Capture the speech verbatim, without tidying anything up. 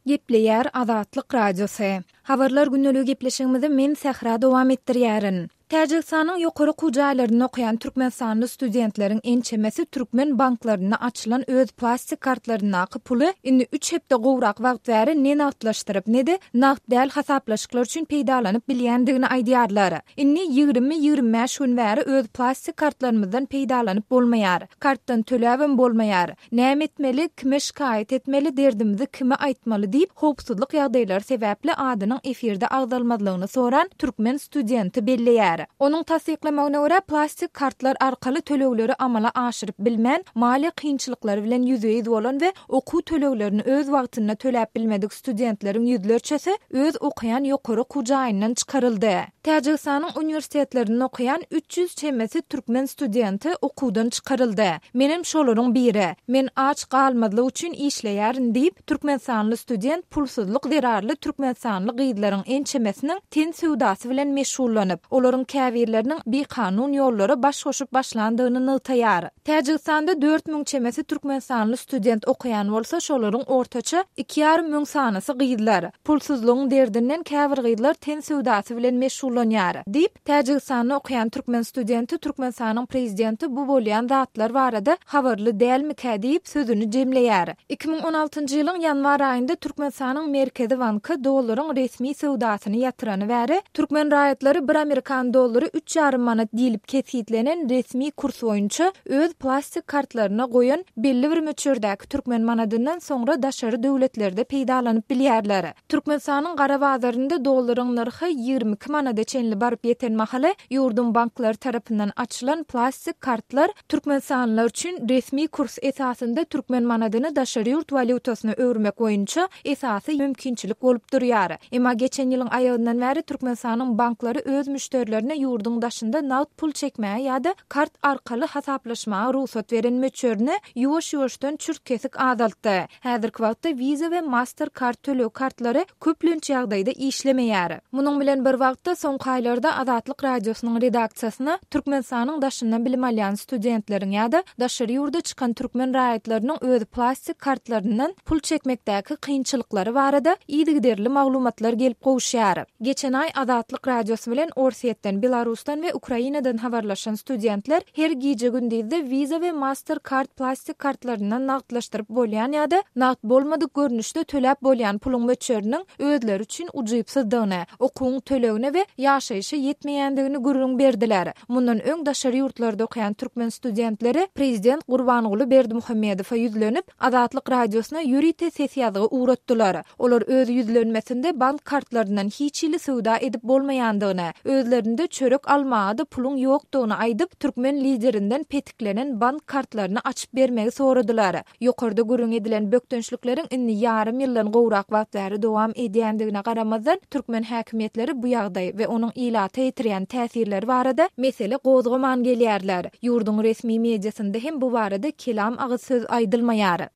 Gepleýär Azatlyk Radiosy. Habarlar gündeligi gepleşigimizi men Sähra dowam etdirýärin. Täjigistanyň ýokary okuw jaýlarynda okaýan türkmenistanly studentleriň ençemesi türkmen banklarynda açylan öz plastik kartlaryndaky puly indi üç hepde gowrak wagt bäri ne nagtlaşdyryp, ne-de nagt däl hasaplaşyklar üçin peýdalanyp bilýändigini aýdýarlar. Indi ýigrimi-ýigrimi bäş gün bäri öz plastik kartlarymyzdan peýdalanyp bolmaýar. Kartdan töläbem bolmaýar. Näme etmeli, kime şikaýat etmeli, derdimizi kime aýtmaly diýip, howpsuzlyk ýagdaýlary sebäpli adynyň efirde agzalmazlygyny soran türkmen studenti belleýär. Onuň tassyklamagyna görä, plastik kartlar arkaly tölegleri amala aşyryp bilmän, maliýe kynçylyklary bilen ýüzbe-ýüz bolan we okuw töleglerini öz wagtynda töläp bilmedik studentleriň ýüzlerçesi öz okaýan ýokary okuw jaýyndan çykaryldy. Täjigistanyň uniwersitetlerinde okaýan üç ýüz çemesi türkmen studenti okuwdan çykaryldy. Menem şolaryň biri. Men aç galmazlyk üçin işleýärin diýip, türkmenistanly student pulsuzlyk zerarly türkmenistanly gyzlaryň ençemesiniň ten söwdasy bilen meşgullanyp, olaryň käbirleriniň bikanun ýollara baş goşup başlandygyny nygtaýar. Täjigistanda dört müň çemesi türkmenistanly student okaýan bolsa, şolaryň ortaça iki ýarym müň sanysy gyzlar. Pulsuzlygyň derdinden käbir gyzlar ten söwdasy bilen meşgullanýar, diýip, Täjigistanda okaýan türkmen studenti Türkmenistanyň prezidenti bu bolýan zatlar barada habarly dälmikä diýip, sözüni jemleýär. Iki müň on altynjy ýylyň ýanwar aýynda Türkmenistanyň Merkezi banky dollaryň resmi söwdasyny ýatyrany bäri, türkmen raýatlary bir amerikan dollary üç ýarym manat diýlip kesgitlenen resmi kurs boýunça öz plastik kartlaryna goýan belli bir möçberdäki türkmen manadyndan soňra daşary döwletlerde peýdalanyp bilýärler. Türkmenistanyň gara bazarynda dollaryň nyrhy ýigrimi iki manada çenli baryp ýeten mahaly ýurduň banklary tarapyndan açylan plastik kartlar türkmenistanlylar üçin resmi kurs esasynda türkmen manadyny daşary ýurt walýutasyna öwürmek boýunça esasy mümkinçilik bolup durýar. Emma geçen ýylyň aýagyndan bäri Türkmenistanyň banklary öz müşderilerine ýurduň daşynda nagt pul çekmäge ýa-da kart arkaly hasaplaşmaga rugsat beren möçberini ýuwaş-ýuwaşdan çürt-kesik azaltdy. Häzirki wagtda Visa we Mastercard töleg kartlary köplenç ýagdaýda işlemeýär. Munuň bilen bir wagtda soňky aýlarda Azatlyk Radiosynyň redaksiýasyna Türkmenistanyň daşyndan bilim alýan studentleriň ýa-da daşary ýurda çykan türkmen raýatlarynyň öz plastik kartlaryndan pul çekmekdäki kynçylyklary barada yzygiderli maglumatlar gelip gowuşýar. Geçen aý Azatlyk Radiosy bilen Orsýetden, Belarusdan we Ukrainadan habarlaşan studentler her gije-gündizde Visa we Mastercard plastik kartlaryndan nagtlaşdyryp bolýan ýa-da nagt bolmadyk görnüşde töläp bolýan puluň möçberiniň özleri üçin ujypsyzdygyny, okuwyň tölegine we ýaşaýşa ýetmeýändigini gürrüň berdiler. Mundan öň daşary ýurtlarda okaýan türkmen studentleri prezident Gurbanguly Berdimuhamedowa ýüzlenip, Azatlyk Radiosyna ýörite ses ýazgy ugratdylar. Olar öz ýüzlenmesinde bank kartlaryndan hiç hili söwda edip bolmaýandygyny, özlerinde çörek almaga-da puluň ýokdugyny aýdyp, türkmen liderinden petiklenen bank kartlaryny açyp bermegi soradylar. Ýokarda gürrüň edilen bökdençlikleriň indi ýarym ýyldan gowrak wagt bäri dowam edýändigine garamazdan, türkmen häkimiýetleri bu ýagdaý we onuň ilata ýetirýän täsirleri barada mesele gozgaman gelýärler. Ýurduň resmi mediasynda hem bu barada kelam agyz söz aýdylmaýar.